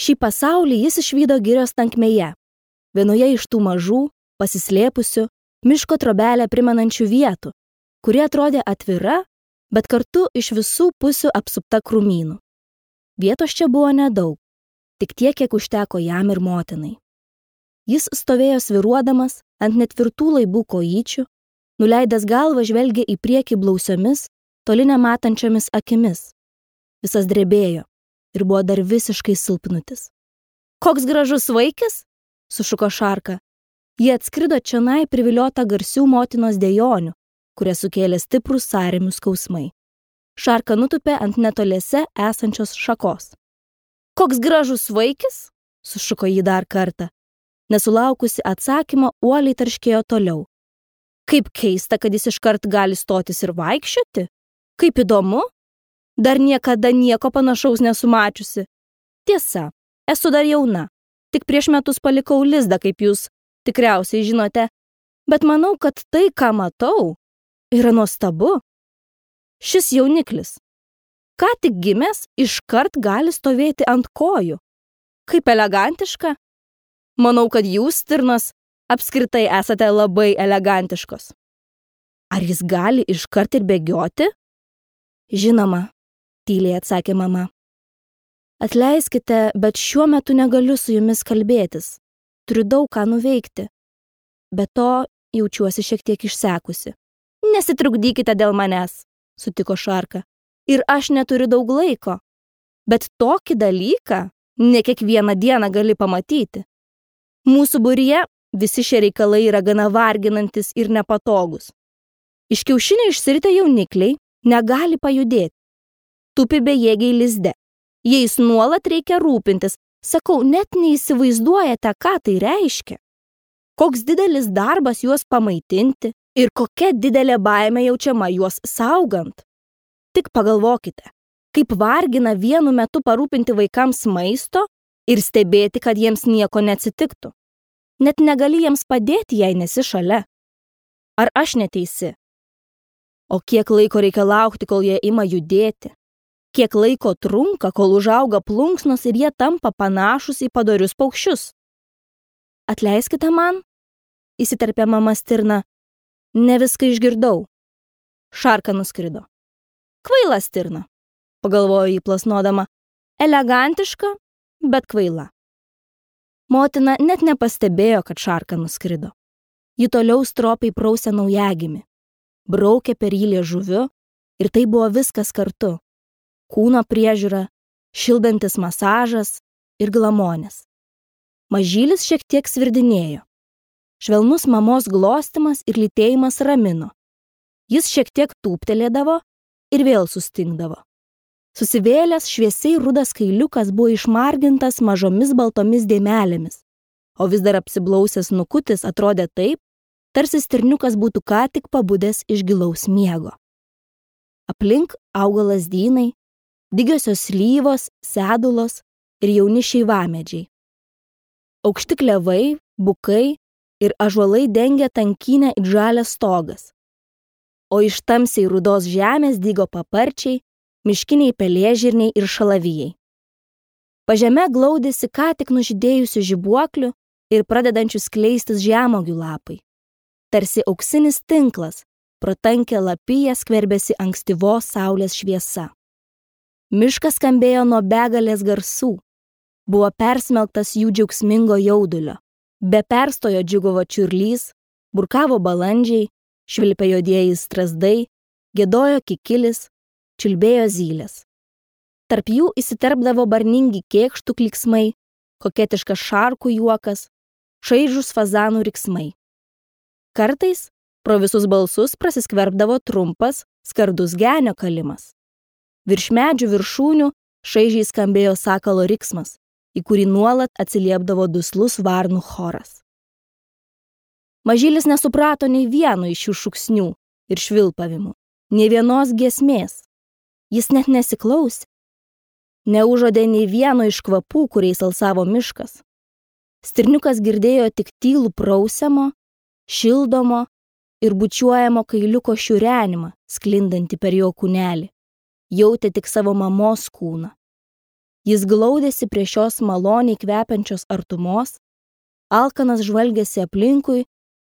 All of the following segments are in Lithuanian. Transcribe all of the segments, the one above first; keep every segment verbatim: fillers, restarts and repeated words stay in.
Šį pasaulį jis išvydo girios tankmėje, vienoje iš tų mažų, pasislėpusių, miško trobelę primenančių vietų, kuri atrodė atvira, bet kartu iš visų pusių apsupta krūmynų. Vietos čia buvo nedaug, tik tiek, kiek užteko jam ir motinai. Jis stovėjo sviruodamas ant netvirtų laibų kojyčių, nuleidęs galvą žvelgė į priekį blausiomis, toli nematančiomis akimis. Visas drebėjo ir buvo dar visiškai silpnutis. Koks gražus vaikis, sušuko Šarka. Jie atskrido čionai priviliota garsių motinos dejonių, kurie sukėlė stiprus sąrėmių skausmai. Šarka nutupė ant netoliese esančios šakos. Koks gražus vaikis, sušuko jį dar kartą. Nesulaukusi atsakymą, uoliai tarškėjo toliau. Kaip keista, kad jis iškart gali stotis ir vaikščioti. Kaip įdomu. Dar niekada nieko panašaus nesumačiusi. Tiesa, esu dar jauna. Tik prieš metus palikau lizdą, kaip jūs tikriausiai žinote. Bet manau, kad tai, ką matau, yra nuostabu. Šis jauniklis, ką tik gimęs, iškart gali stovėti ant kojų. Kaip elegantiška. Manau, kad jūs, stirnos, apskritai esate labai elegantiškos. Ar jis gali iškart ir bėgioti? Žinoma, tyliai atsakė mama. Atleiskite, bet šiuo metu negaliu su jumis kalbėtis. Turiu daug ką nuveikti. Be to, jaučiuosi šiek tiek išsekusi. Nesitrukdykite dėl manęs, sutiko Šarka. Ir aš neturiu daug laiko. Bet tokį dalyką ne kiekvieną dieną gali pamatyti. Mūsų būryje visi šie reikalai yra gana varginantis ir nepatogus. Iš kiaušinio išsiritę jaunikliai negali pajudėti. Tupi bejėgiai lizde. Jais nuolat reikia rūpintis. Sakau, net neįsivaizduojate, ką tai reiškia. Koks didelis darbas juos pamaitinti ir kokia didelė baimė jaučiama juos saugant. Tik pagalvokite, kaip vargina vienu metu parūpinti vaikams maisto ir stebėti, kad jiems nieko neatsitiktų. Net negali jiems padėti, jei nesi šalia. Ar aš neteisi? O kiek laiko reikia laukti, kol jie ima judėti? Kiek laiko trunka, kol užauga plunksnos ir jie tampa panašus į padorius paukščius? Atleiskite man, įsiterpė mama stirna. Ne viską išgirdau. Šarka nuskrido. Kvaila stirna, pagalvojo jį plasnodama. Elegantiška, bet kvaila. Motina net nepastebėjo, kad Šarka nuskrido. Ji toliau stropiai prausė naujagimį. Braukė per jį liežuviu ir tai buvo viskas kartu. Kūno priežiūra, šildantis masažas ir glamonės. Mažylis šiek tiek svirdinėjo. Švelnus mamos glostimas ir lytėjimas ramino. Jis šiek tiek tūptelėdavo ir vėl sustingdavo. Susivėlęs šviesiai rudas kailiukas buvo išmargintas mažomis baltomis dėmelėmis, o vis dar apsiblausęs nukutis atrodė taip, tarsi stirniukas būtų ką tik pabudęs iš gilaus miego. Aplink auga lazdynai, dygiosios slyvos, sedulos ir jauni šeivamedžiai. Aukšti klevai, bukai ir ąžuolai dengia tankynę it žalias stogas. O iš tamsiai rudos žemės dygo paparčiai, miškiniai pelėžirniai ir šalavijai. Pažeme glaudėsi ką tik nužydėjusių žibuoklių ir pradedančių skleistis žemuogių lapai. Tarsi auksinis tinklas, pro tankią lapiją skverbėsi ankstyvos saulės šviesa. Miškas skambėjo nuo begalės garsų. Buvo persmelktas jų džiaugsmingo jaudulio. Be perstojo džiugavo čiurlys, burkavo balandžiai, švilpė juodieji strazdai, giedojo kikilis, čiulbėjo zylės. Tarp jų įsiterpdavo barningi kėkštų klyksmai, koketiškas šarkų juokas, šaižūs fazanų riksmai. Kartais pro visus balsus prasiskverbdavo trumpas, skardus genio kalimas. Virš medžių viršūnių šaižiai skambėjo sakalo riksmas, į kurį nuolat atsiliepdavo duslus varnų choras. Mažylis nesuprato nei vieno iš šių šūksnių ir švilpavimų, nei vienos giesmės. Jis net nesiklausė. Neužodė nei vieno iš kvapų, kuriais alsavo miškas. Stirniukas girdėjo tik tylų prausiamo, šildomo ir bučiuojamo kailiuko šiurenimą, sklindantį per jo kūnelį. Jautė tik savo mamos kūną. Jis glaudėsi prie šios maloniai kvepiančios artumos, alkanas žvalgėsi aplinkui,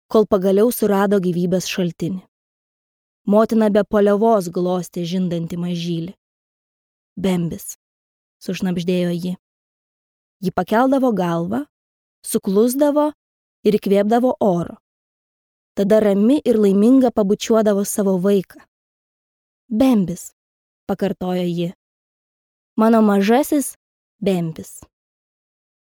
kol pagaliau surado gyvybės šaltinį. Motina be paliovos glostė žindantį mažylį. Bembis, sušnabždėjo ji. Ji pakeldavo galvą, suklusdavo ir įkvėpdavo oro. Tada rami ir laiminga pabučiuodavo savo vaiką. Bembis, pakartojo ji. Mano mažasis Bembis.